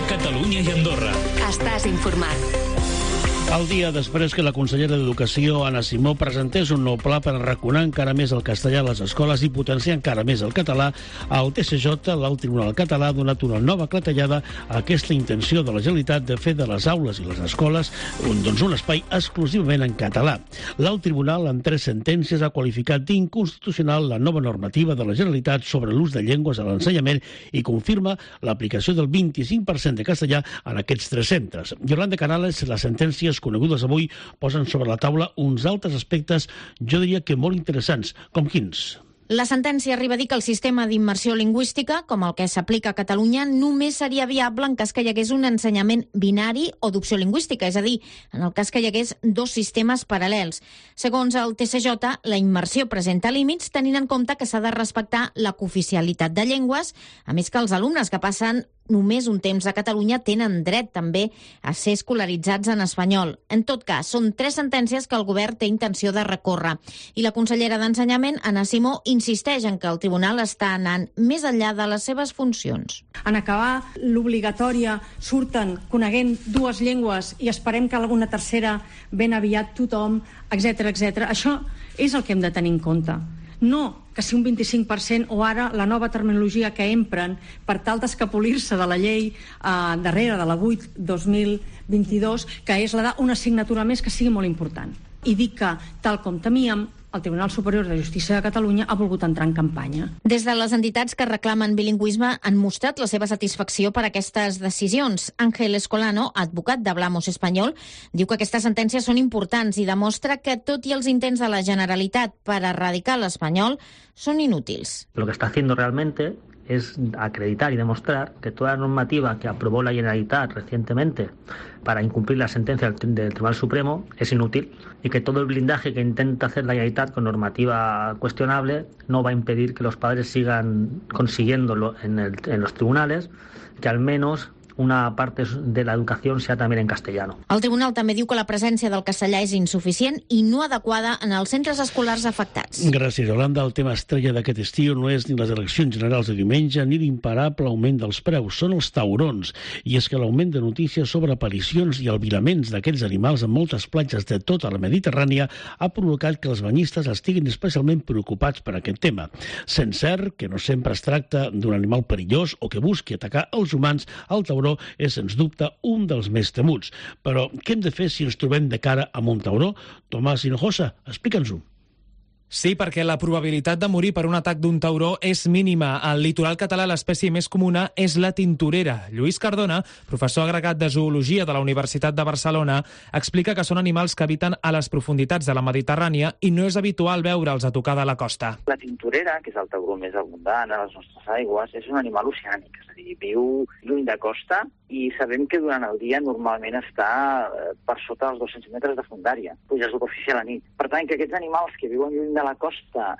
TV Catalunya i Andorra. Estàs informat. El dia després que la consellera d'Educació, Anna Simó, presentés un nou pla per arraconar encara més el castellà a les escoles i potenciar encara més el català, el TSJ, l'Alt Tribunal Català, ha donat una nova clatellada a aquesta intenció de la Generalitat de fer de les aules i les escoles un espai exclusivament en català. L'Alt Tribunal, en 3 sentències, ha qualificat d'inconstitucional la nova normativa de la Generalitat sobre l'ús de llengües a l'ensenyament i confirma l'aplicació del 25% de castellà en aquests 3 centres. Yolanda Canales, les sentències conegudes avui posen sobre la taula uns altres aspectes, jo diria que molt interessants, com quins? La sentència arriba a dir que el sistema d'immersió lingüística, com el que s'aplica a Catalunya, només seria viable en cas que hi hagués un ensenyament binari o d'opció lingüística, és a dir, en el cas que hi hagués 2 sistemes paral·lels. Segons el TSJ, la immersió presenta límits tenint en compte que s'ha de respectar la cooficialitat de llengües, a més que els alumnes que passen només un temps a Catalunya tenen dret també a ser escolaritzats en espanyol. En tot cas, són 3 sentències que el govern té intenció de recórrer. I la consellera d'Ensenyament, Anna Simó, insisteix en que el tribunal està anant més enllà de les seves funcions. En acabar l'obligatòria surten coneguent 2 llengües i esperem que alguna tercera ben aviat tothom, etc. Això és el que hem de tenir en compte. No que si un 25% o ara la nova terminologia que empren per tal d'escapolir-se de la llei darrere de la 8/2022, que és la d'una assignatura més que sigui molt important. I dic que, tal com temíem, el Tribunal Superior de Justícia de Catalunya ha volgut entrar en campanya. Des de les entitats que reclamen bilingüisme han mostrat la seva satisfacció per aquestes decisions. Ángel Escolano, advocat d'Hablamos Espanyol, diu que aquestes sentències són importants i demostra que tot i els intents de la Generalitat per erradicar l'espanyol són inútils. Lo que está haciendo realmente es acreditar y demostrar que toda la normativa que aprobó la Generalitat recientemente para incumplir la sentencia del Tribunal Supremo es inútil y que todo el blindaje que intenta hacer la Generalitat con normativa cuestionable no va a impedir que los padres sigan consiguiéndolo en los tribunales, que al menos una parte de la educación sea también en castellano. El tribunal també diu que la presència del castellà és insuficient i no adequada en els centres escolars afectats. Gràcies, Yolanda. El tema estrella d'aquest estiu no és ni les eleccions generals de diumenge ni l'imparable augment dels preus, són els taurons. I és que l'augment de notícies sobre aparicions i albiraments d'aquests animals en moltes platges de tota la Mediterrània ha provocat que els banyistes estiguin especialment preocupats per aquest tema. Sent cert que no sempre es tracta d'un animal perillós o que busqui atacar els humans, el tauró és, sens dubte, un dels més temuts. Però què hem de fer si ens trobem de cara amb un tauró? Tomàs Hinojosa, explica'ns-ho. Sí, perquè la probabilitat de morir per un atac d'un tauró és mínima. Al litoral català l'espècie més comuna és la tintorera. Lluís Cardona, professor agregat de Zoologia de la Universitat de Barcelona, explica que són animals que habiten a les profunditats de la Mediterrània i no és habitual veure'ls a tocar de la costa. La tintorera, que és el tauró més abundant a les nostres aigües, és un animal oceànic, és a dir, viu lluny de costa i sabem que durant el dia normalment està per sota dels 200 metres de fondària, puja a superfície a la nit. Per tant, que aquests animals que viuen lluny de la costa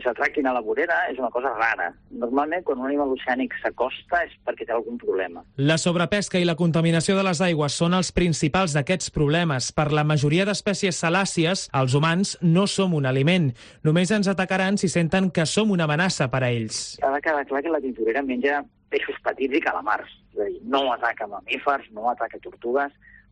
s'atraquin a la vorera és una cosa rara. Normalment, quan un animal oceànic s'acosta és perquè té algun problema. La sobrepesca i la contaminació de les aigües són els principals d'aquests problemes. Per la majoria d'espècies salàcies, els humans no som un aliment. Només ens atacaran si senten que som una amenaça per a ells. Ha de quedar clar que la tintorera menja peixos petits i calamars. És a dir, no ataca mamífers, no ataca tortugues.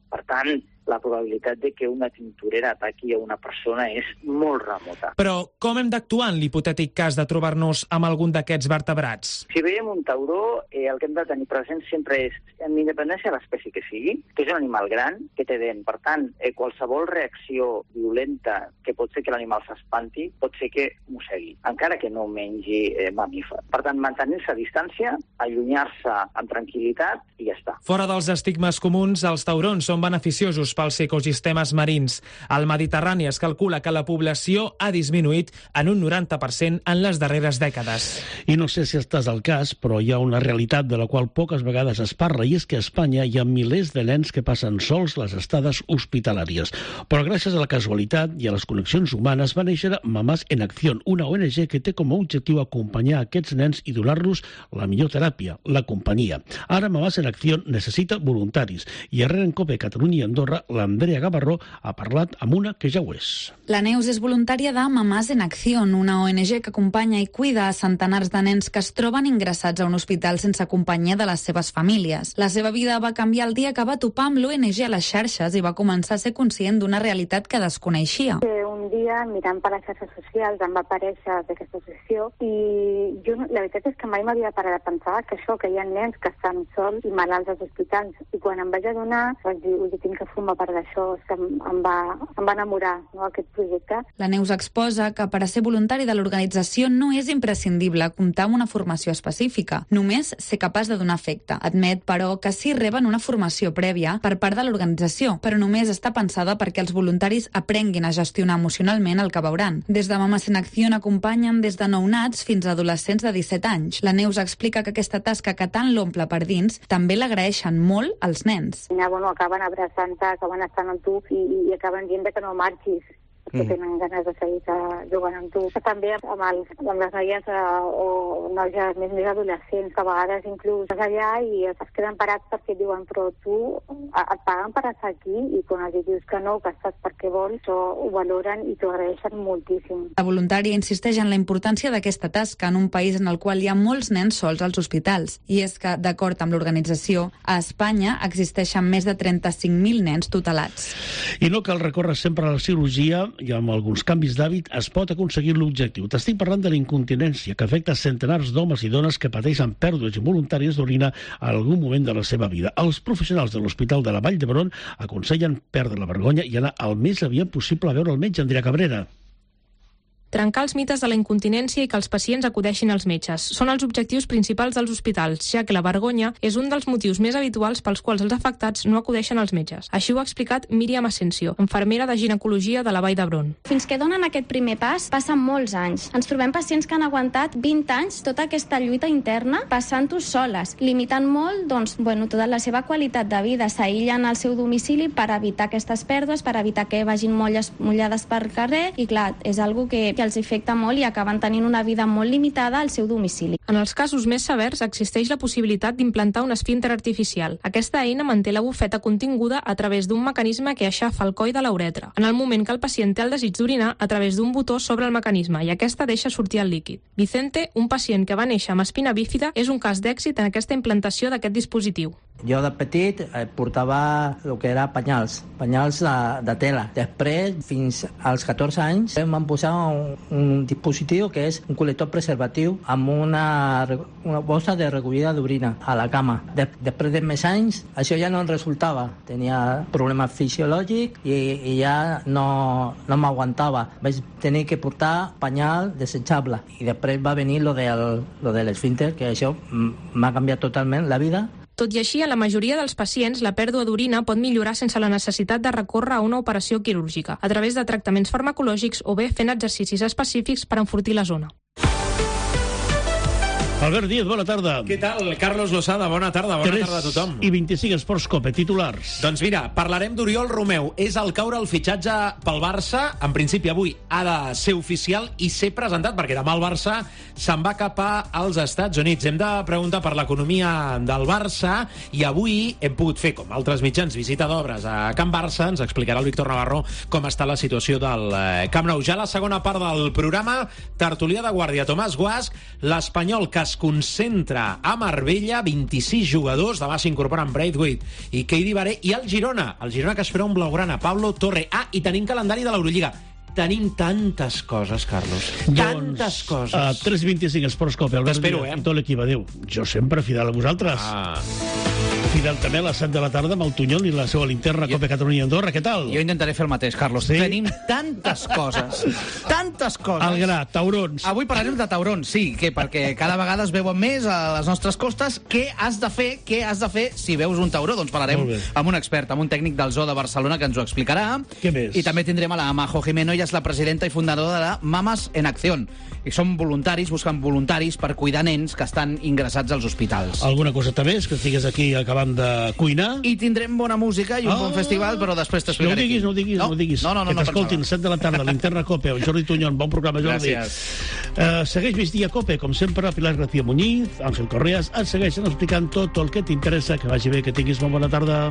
Per tant, la probabilitat de que una tintorera ataqui a una persona és molt remota. Però com hem d'actuar en l'hipotètic cas de trobar-nos amb algun d'aquests vertebrats? Si veiem un tauró, el que hem de tenir present sempre és, en independència de l'espècie que sigui, que és un animal gran, que té dent. Per tant, qualsevol reacció violenta que pot ser que l'animal s'espanti, pot ser que mossegui, encara que no mengi mamífer. Per tant, mantenir-se a distància, allunyar-se amb tranquil·litat i ja està. Fora dels estigmes comuns, els taurons són beneficiosos pels ecosistemes marins. Al Mediterrani es calcula que la població ha disminuït en un 90% en les darreres dècades. I no sé si estàs al cas, però hi ha una realitat de la qual poques vegades es parla, i és que a Espanya hi ha milers de nens que passen sols les estades hospitalàries. Però gràcies a la casualitat i a les connexions humanes va néixer Mamás en Acción, una ONG que té com a objectiu acompanyar aquests nens i donar-los la millor teràpia, la companyia. Ara Mamás en Acción necessita voluntaris i arrere en COPE Catalunya i Andorra l'Andrea Gavarró ha parlat amb una que ja ho és. La Neus és voluntària de Mamàs en Acció, una ONG que acompanya i cuida a centenars de nens que es troben ingressats a un hospital sense companyia de les seves famílies. La seva vida va canviar el dia que va topar amb l'ONG a les xarxes i va començar a ser conscient d'una realitat que desconeixia. Un dia, mirant per les xarxes socials, em va aparèixer aquesta associació i jo, la veritat és que mai m'havia parat a pensar que hi ha nens que estan sols i malalts als hospitals. I quan em vaig adonar, vaig dir, jo tinc que formar part d'això, em va enamorar, no, aquest projecte. La Neus exposa que per a ser voluntari de l'organització no és imprescindible comptar amb una formació específica, només ser capaç de donar afecte. Admet, però, que sí reben una formació prèvia per part de l'organització, però només està pensada perquè els voluntaris aprenguin a gestionar emocionalment el que veuran. Des de Mamàs en Acció acompanyen des de nounats fins a adolescents de 17 anys. La Neus explica que aquesta tasca que tant l'omple per dins també l'agraeixen molt als nens. Acaben abraçant-te, acaben estant amb tu i acaben dient que no marxis, que tenen ganes de seguir jugant amb tu. També amb les noies o noies més adolescents, que a vegades inclús vas allà i es queden parats perquè diuen però tu et paguen per estar aquí i quan els dius que no, que estàs perquè vols, ho valoren i t'ho agraeixen moltíssim. La voluntària insisteix en la importància d'aquesta tasca en un país en el qual hi ha molts nens sols als hospitals. I és que, d'acord amb l'organització, a Espanya existeixen més de 35.000 nens tutelats. I no cal recórrer sempre a la cirurgia i amb alguns canvis d'hàbit es pot aconseguir l'objectiu. T'estic parlant de la incontinència, que afecta centenars d'homes i dones que pateixen pèrdues involuntàries d'orina a algun moment de la seva vida. Els professionals de l'Hospital de la Vall d'Hebron aconsellen perdre la vergonya i anar el més aviat possible a veure el metge, Andrea Cabrera. Trencar els mites de la incontinència i que els pacients acudeixin als metges. Són els objectius principals dels hospitals, ja que la vergonya és un dels motius més habituals pels quals els afectats no acudeixen als metges. Així ho ha explicat Míriam Asensio, infermera de ginecologia de la Vall d'Hebron. Fins que donen aquest primer pas, passen molts anys. Ens trobem pacients que han aguantat 20 anys tota aquesta lluita interna passant-ho soles, limitant molt tota la seva qualitat de vida. S'aïllen al seu domicili per evitar aquestes pèrdues, per evitar que vagin mullades per carrer i clar, és algo que els afecta molt i acaben tenint una vida molt limitada al seu domicili. En els casos més severs existeix la possibilitat d'implantar un esfínter artificial. Aquesta eina manté la bufeta continguda a través d'un mecanisme que aixafa el coll de la uretra. En el moment que el pacient té el desig d'orinar, a través d'un botó sobre el mecanisme i aquesta deixa sortir el líquid. Vicente, un pacient que va néixer amb espina bífida, és un cas d'èxit en aquesta implantació d'aquest dispositiu. Jo de petit portava el que era penyals de tela. Després, fins als 14 anys, em van posar un dispositiu que és un col·lector preservatiu amb una bossa de recollida d'orina a la cama. Després de més anys, això ja no em resultava. Tenia problemes fisiològics i ja no m'aguantava. Vaig tenir que portar penyal desitjable. I després va venir lo de l'esfínter, que això m'ha canviat totalment la vida. Tot i així, a la majoria dels pacients, la pèrdua d'orina pot millorar sense la necessitat de recórrer a una operació quirúrgica, a través de tractaments farmacològics o bé fent exercicis específics per enfortir la zona. Albert Díaz, bona tarda. Què tal? Carlos Lozada, bona tarda. Bona tarda a tothom. 3:25 Esports Cope, titulars. Doncs mira, parlarem d'Oriol Romeu. És al caure el fitxatge pel Barça. En principi avui ha de ser oficial i ser presentat, perquè demà el Barça se'n va cap als Estats Units. Hem de preguntar per l'economia del Barça i avui hem pogut fer, com altres mitjans, visita d'obres a Can Barça. Ens explicarà el Víctor Navarro com està la situació del Camp Nou. Ja la segona part del programa, tertúlia de guàrdia. Tomàs Guasch, l'Espanyol que es concentra a Marbella, 26 jugadors, demà s'incorporen Braithwaite i Keidi Baré, i el Girona que espera un blaugrana, Pablo Torre. I tenim calendari de l'Eurolliga. Tenim tantes coses, Carlos. Tantes coses. 3:25 Esports Cope. T'espero, I tot l'equip. Adéu. Jo sempre fidel a vosaltres. Fidel també a les 7 de la tarda amb el Tunyol i la seva linterna Cope Catalunya Andorra. Què tal? Jo intentaré fer el mateix, Carlos. Sí? Tenim tantes coses. Tantes coses. El gra, taurons. Avui parlarem de taurons, sí, perquè cada vegada es veuen més a les nostres costes. Què has de fer si veus un tauró? Doncs parlarem amb un expert, amb un tècnic del Zoo de Barcelona que ens ho explicarà. Què més? I també tindrem a la Majo Jimeno, ella és la presidenta i fundadora de la Mamàs en Acció. I són voluntaris, busquen voluntaris per cuidar nens que estan ingressats als hospitals. Alguna coseta més, que estigues aquí acabant de cuinar? I tindrem bona música i un bon festival, però després t'explicaré. No ho diguis. Que t'escoltin, 7 de la tarda, Linterna Cope, amb Jordi Tunyol. Bon programa, Jordi. Gràcies. Segueix Migdia Cope, com sempre, Pilar García Muñiz, Àngel Correas, et segueixen explicant tot el que t'interessa. Que vagi bé, que tinguis molt bona tarda.